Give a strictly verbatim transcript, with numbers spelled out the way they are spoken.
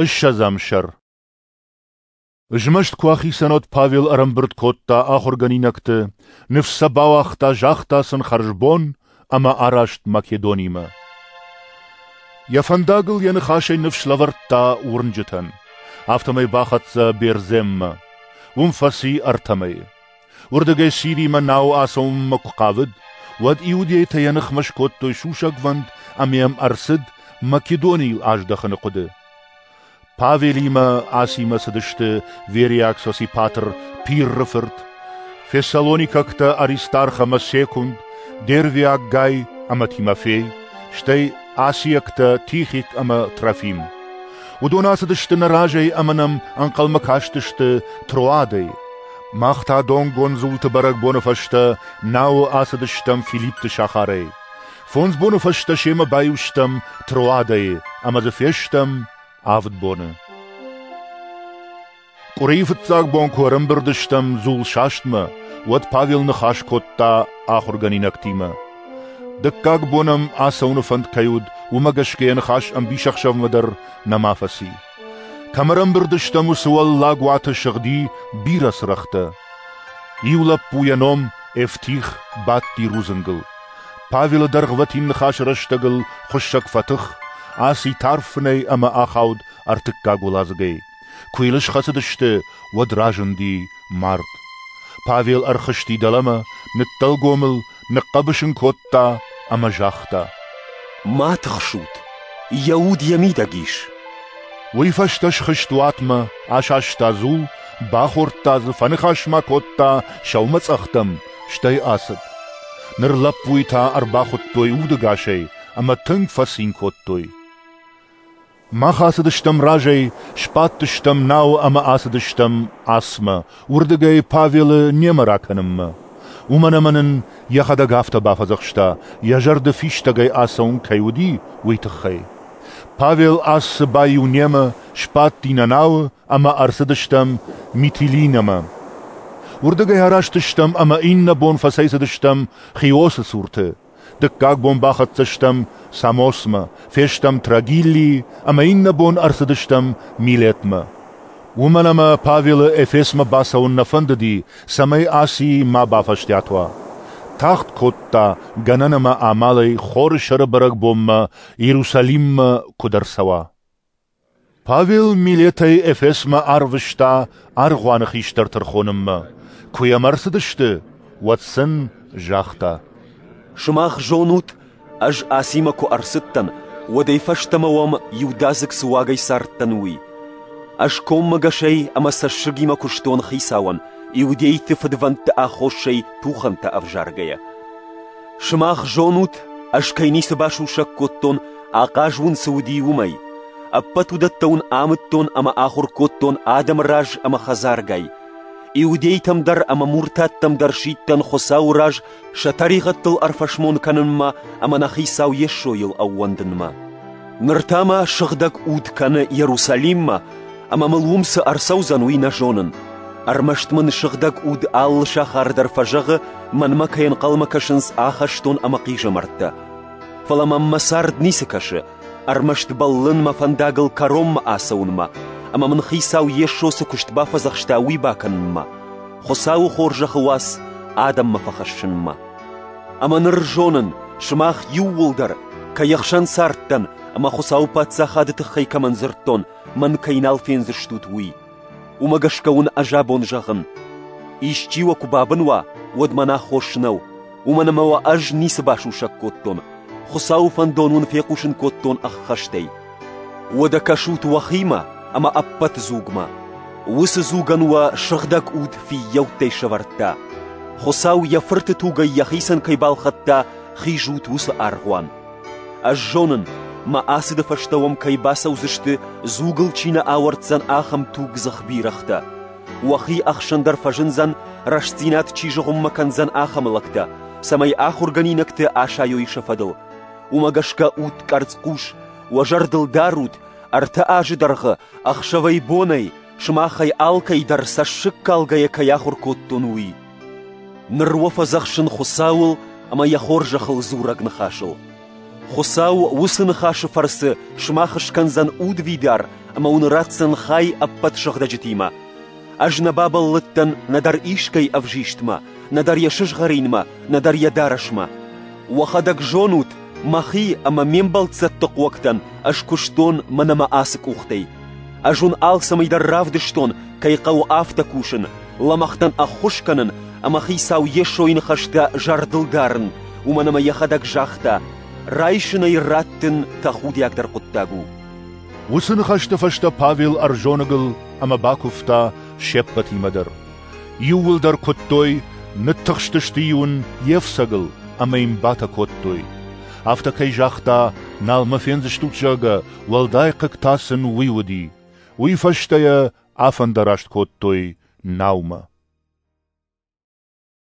Ссӕдзӕм сӕр. Змӕст куы ахицӕн, уӕд Павел ӕрӕмбырд кодта ахуыргӕнинӕгты, ныфс сӕ бауагъта, загъта сын хӕрзбон ӕмӕ араст Македонимӕ. Йӕ фӕндагыл йӕ ныхасӕй ныфс лӕвӕрдта уырнджытӕн. Афтӕмӕй бахӕццӕ Бердземмӕ. Уым фӕци ӕртӕ мӕйы. Уырдыгӕй Сиримӕ науы ацӕуынмӕ куы хъавыд, уӕд иудейтӕ йӕ ныхмӕ скодтой сусӕгвӕнд ӕмӕ йӕм ӕрцыд Македонийыл аздӕхыны хъуыды. Павелимӕ Асимӕ цыдысты Вериаг Сосипатр Пирры фырт, фессалоникӕгтӕ Аристарх ӕмӕ Секунд, Дервиаг Гай ӕмӕ Тимофей, стӕй асиӕгтӕ Тихик ӕмӕ Трофим. Уыдон ацыдысты нӕ разӕй ӕмӕ нӕм ӕнхъӕлмӕ кастысты Троадӕйы. Мах та донгонд дзулты бӕрӕгбоны фӕстӕ науы ацыдыстӕм Филиппты сахарӕй. Фондз боны фӕстӕ семӕ баиу стӕм Троадӕйы ӕмӕ дзы фестӕм авд боны. Къуырийы фыццаг бон куы ӕрӕмбырд стӕм дзулсастмӕ, уӕд Павел ныхас кодта ахуыргӕнинӕгтимӕ. Дыккаг бон ӕм ацӕуыны фӕнд кӕй уыд, уымӕ гӕсгӕ йӕ ныхас ӕмбисӕхсӕвмӕ дӕр нӕма фӕци. Кӕм ӕрӕмбырд стӕм, уыцы уӕллаг уаты сыгъди бирӕ цырӕгътӕ. Иу лӕппу йӕ ном Эвтих бадти рудзынгыл. Павелы дӕргъвӕтин ныхасы рӕстӕгыл хуыссӕг фӕтых, аци тарф фынӕй ӕмӕ ахауд ӕртыккаг уӕладзыгӕй. Куы йыл схӕцыдысты, уӕд разынди мард. Павел ӕрхызти дӕлӕмӕ, ныддӕлгом ыл, ныхъхъӕбыс ын кодта ӕмӕ загъта: «Ма тыхсут, йӕ уд йӕ мидӕг ис». Уый фӕстӕ схызт уатмӕ, асаста дзул, бахордта дзы, фӕныхас ма кодта сӕумӕцъӕхтӕм, стӕй ацыд. Ныр лӕппуйы та ӕрбахуыдтой удӕгасӕй ӕмӕ тынг фӕцин кодтой. Мах ацыдыстӕм разӕй, сбадтыстӕм науы ӕмӕ ацыдыстӕм Асмӕ, уырдыгӕй Павелы немӕ ракӕнынмӕ. Уымӕн ӕмӕ нын йӕхӕдӕг афтӕ бафӕдзӕхста, йӕ зӕрды фистӕгӕй ацӕуын кӕй уыди, уый тыххӕй. Павел Ассы баиу немӕ, сбадти нӕ науы ӕмӕ ӕрцыдыстӕм Митилинӕмӕ. Уырдыгӕй араст стӕм ӕмӕ иннӕ бон фӕцӕйцыдыстӕм Хиосы цурты. Дыккаг бон бахӕццӕ стӕм Самосмӕ, фестӕм Трагиллийы ӕмӕ иннӕ бон ӕрцыдыстӕм Милетмӕ. Уымӕн ӕмӕ Павелы Эфесмӕ бацӕуын нӕ фӕндыди, цӕмӕй Асийы ма бафӕстиат уа. Тагъд кодта, гӕнӕн ӕмӕ амалӕй Хоры сӕры бӕрӕгбонмӕ Иерусалиммӕ куыд ӕрцӕуа. Павел Милетӕй Эфесмӕ арвыста аргъуаны хистӕрты ӕрхонынмӕ. Куы йӕм ӕрцыдысты, уӕд сын загъта: «Сымах зонут, ӕз Асимӕ куы ӕрцыдтӕн, уӕдӕй фӕстӕмӕ уӕм иудадзыг цы уагӕй цардтӕн, уый. Ӕз коммӕгӕсӕй ӕмӕ цӕссыгимӕ куыстон Хицауӕн, иудейты фыдвӕндты аххосӕй тухӕнтӕ ӕвзаргӕйӕ. Сымах зонут, ӕз кӕй ницы басусӕг кодтон, ахъаз уын цы уыди, уымӕй. Ӕппӕт уыдӕттӕ уын амыдтон ӕмӕ ахуыр кодтон адӕмы раз ӕмӕ хӕдзаргай. Иудейтӕм дӕр ӕмӕ муртаттӕм дӕр сидтӕн Хуыцауы раз сӕ тӕригъӕдтыл ӕрфӕсмон кӕнынмӕ ӕмӕ нӕ Хицау Йесойыл ӕууӕндынмӕ. Ныр та мӕ Сыгъдӕг Уд кӕны Иерусалиммӕ, ӕмӕ мыл уым цы ӕрцӕудзӕн, уый нӕ зонын. Ӕрмӕст мын Сыгъдӕг Уд алы сахар дӕр фӕзӕгъы, мӕнмӕ кӕй ӕнхъӕлмӕ кӕсынц ахӕстон ӕмӕ хъизӕмӕрттӕ. Фӕлӕ мӕм мӕ цард ницы кӕсы, ӕрмӕст бӕллын мӕ фӕндагыл кӕронмӕ ацӕуынмӕ, ӕмӕ мын Хицау Йесо цы куыст бафӕдзӕхста, уый бакӕнынмӕ, Хуыцауы хорзӕхы уац адӕммӕ фӕхӕссынмӕ. Ӕмӕ ныр зонын, сымах иууылдӕр, кӕй ӕхсӕн цардтӕн ӕмӕ Хуыцауы паддзахады тыххӕй кӕмӕн дзырдтон, мӕн кӕй нал фендзыстут, уый. Уымӕ гӕсгӕ уын ӕз абон зӕгъын: исчи уӕ куы бабын уа, уӕд мӕн аххос нӕу, уымӕн ӕмӕ уӕ ӕз ницы басусӕг кодтон, Хуыцауы фӕндон уын фехъусын кодтон ӕххӕстӕй. Уӕдӕ кӕсут уӕхимӕ ӕмӕ ӕппӕт дзугмӕ. Уыцы дзугӕн уӕ Сыгъдӕг Уд фыййӕуттӕй сӕвӕрдта. Хуыцау йӕ Фырты тугӕй йӕхицӕн кӕй балхӕдта, хизут уыцы аргъуан. Ӕз зонын, мӕ ацыды фӕстӕ уӕм кӕй бацӕудзысты, дзугыл чи нӕ ауӕрддзӕн, ахӕм тугдзых бирӕгътӕ. Уӕхи ӕхсӕн дӕр фӕзындзӕн, рӕстдзинад чи зыгъуыммӕ кӕндзӕн, ахӕм лӕгтӕ, цӕмӕй ахуыргӕнинӕгты асайой сӕ фӕдыл. Уымӕ гӕсгӕ ут къӕрцхъус, уӕ зӕрдыл дарут, ӕртӕ азы дӕргъы, ӕхсӕвӕй-бонӕй, сымахӕй алкӕй дӕр цӕссыгкалгӕйӕ кӕй ахуыр кодтон, уый. Ныр уӕ фӕдзӕхсын Хуыцауыл ӕмӕ йӕ хорзӕхыл дзурӕг ныхасыл. Хуыцау уыцы ныхасы фӕрцы сымах скӕндзӕн удвидар ӕмӕ уын ратдзӕн хай ӕппӕт сыгъдӕджытимӕ. Ӕз нӕ бабӕллыдтӕн нӕдӕр искӕй ӕвзистмӕ, нӕдӕр йӕ сызгъӕринмӕ, нӕдӕр йӕ дарӕсмӕ. Уӕхӕдӕг зонут, мӕхи ӕмӕ ме мбӕлццӕтты хъуӕгтӕн ӕз куыстон мӕнӕ мӕ ацы къухтӕй. Ӕз уын алцӕмӕй дӕр равдыстон, кӕй хъӕуы афтӕ кусын, лӕмӕгътӕн ӕххуыс кӕнын ӕмӕ Хицау Йесойы ныхӕстӕ зӕрдыл дарын, уымӕн ӕмӕ йӕхӕдӕг загъта: райсынӕй раттын тӕхудиагдӕр хъуыддаг у. Уыцы ныхӕсты фӕстӕ Павел ӕрзоныгыл ӕмӕ бакуывта се ппӕтимӕ дӕр. Иууылдӕр куыдтой, ныттыхстысты-иу ын йе фцӕгыл ӕмӕ йын батӕ кодтой. Афтӕ кӕй загъта, нал мӕ фендзыстут, зӕгъгӕ, уӕлдай хъыг та сын уый уыди. Уый фӕстӕ йӕ афӕндараст кодтой наумӕ.